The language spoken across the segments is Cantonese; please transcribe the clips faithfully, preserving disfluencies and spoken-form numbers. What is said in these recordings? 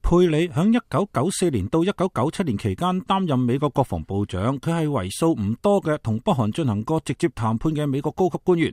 佩里喺一九九四年到一九九七年期間擔任美國國防部長，佢係為數唔多嘅同北韓進行過直接談判嘅美國高級官員。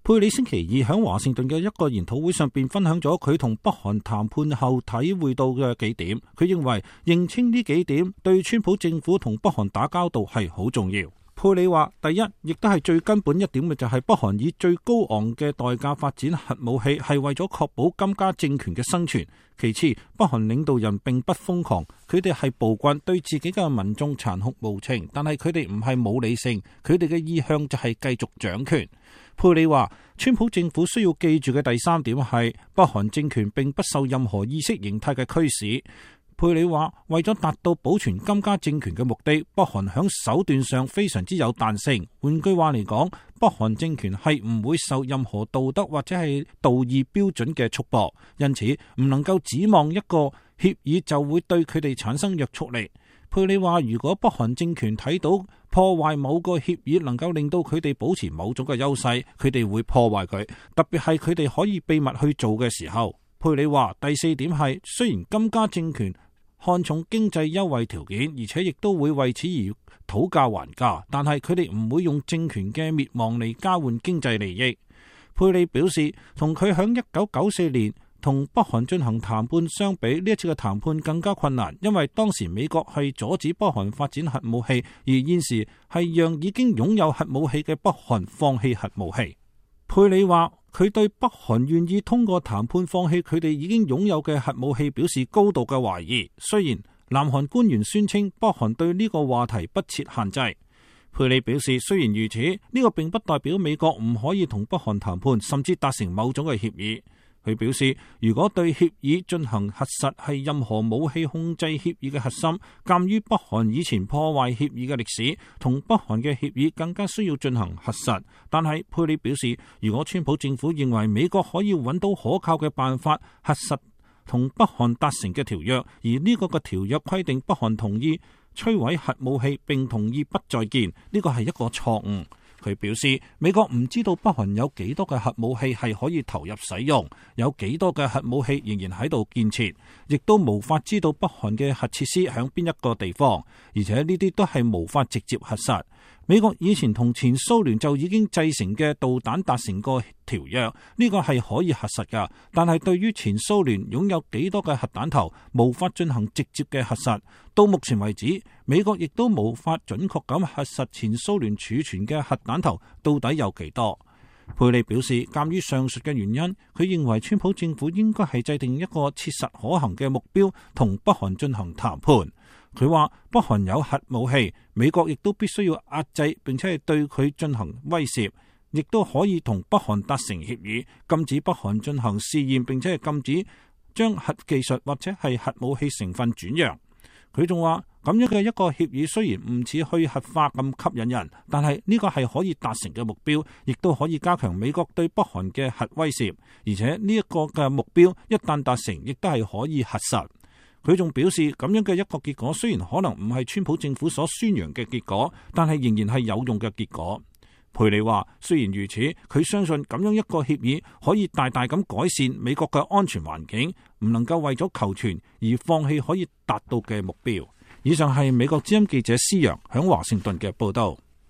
佩里星期二喺華盛頓嘅一個研討會上邊分享咗佢同北韓談判後體會到嘅幾點。佢認為認清呢幾點對川普政府同北韓打交道係好重要。佩里話：第一，亦都係最根本一點嘅就係北韓以最高昂嘅代價發展核武器，係為咗確保金家政權嘅生存。其次，北韓領導人並不瘋狂，佢哋係暴君，對自己嘅民眾殘酷無情，但係佢哋唔係冇理性，佢哋嘅意向就係繼續掌權。佩里話：川普政府需要記住嘅第三點係北韓政權並不受任何意識形態嘅驅使。佩里話：為咗達到保存金家政權嘅目的，北韓響手段上非常之有彈性。換句話嚟講，北韓政權係唔會受任何道德或者係道義標準嘅束縛，因此唔能夠指望一個協議就會對佢哋產生約束力。佩里話：如果北韓政權睇到破壞某個協議能夠令到佢哋保持某種嘅優勢，佢哋會破壞佢，特別係佢哋可以秘密去做嘅時候。佩里話：第四點係，雖然金家政權看重經濟優惠條件，而且亦都會為此而討價還價，但係佢哋唔會用政權嘅滅亡嚟交換經濟利益。佩里表示，同佢響一九九四年同北韓進行談判相比，呢一次嘅談判更加困難，因為當時美國係阻止北韓發展核武器，而現時係讓已經擁有核武器嘅北韓放棄核武器。佩里話：佢對北韓願意通過談判放棄佢哋已經擁有嘅核武器表示高度嘅懷疑。雖然南韓官員宣稱北韓對呢個話題不設限制，佩里表示，雖然如此，呢個並不代表美國唔可以同北韓談判，甚至達成某種嘅協議。佢表示，如果對協議進行核實係任何武器控制協議嘅核心，鑑於北韓以前破壞協議嘅歷史，同北韓嘅協議更加需要進行核實。但係佩里表示，如果川普政府認為美國可以揾到可靠嘅辦法核實同北韓達成嘅條約，而呢個嘅條約規定北韓同意摧毀核武器並同意不再見，呢個係一個錯誤。佢表示，美國唔知道北韓有幾多嘅核武器係可以投入使用，有幾多嘅核武器仍然喺度建設，亦都無法知道北韓嘅核設施喺邊一個地方，而且呢啲都係無法直接核實。美國以前同前蘇聯就已經製成嘅導彈達成過條約，呢個係可以核實㗎。但係對於前蘇聯擁有幾多嘅核彈頭，無法進行直接嘅核實。到目前為止，美國亦都無法準確咁核實前蘇聯儲存嘅核彈頭到底有幾多。佩里表示，鑑於上述嘅原因，佢認為川普政府應該係制定一個切實可行嘅目標，同北韓進行談判。佢話北韓有核武器，美國亦都必須要壓制，並且係對佢進行威懾，亦都可以同北韓達成協議，禁止北韓進行試驗，並且係禁止將核技術或者係核武器成分轉讓。佢仲話，咁樣嘅一個協議雖然唔似去核化咁吸引人，但係呢個係可以達成嘅目標，亦都可以加強美國對北韓嘅核威懾，而且呢一個嘅目標一旦達成，亦都係可以核實。佢仲表示，咁樣嘅一個結果雖然可能唔係川普政府所宣揚嘅結果，但係仍然係有用嘅結果。佩里話，雖然如此，佢相信咁樣一個協議可以大大咁改善美國嘅安全環境，唔能夠為咗求存而放棄可以達到嘅目標。以上係美國之音記者施洋響華盛頓嘅報道。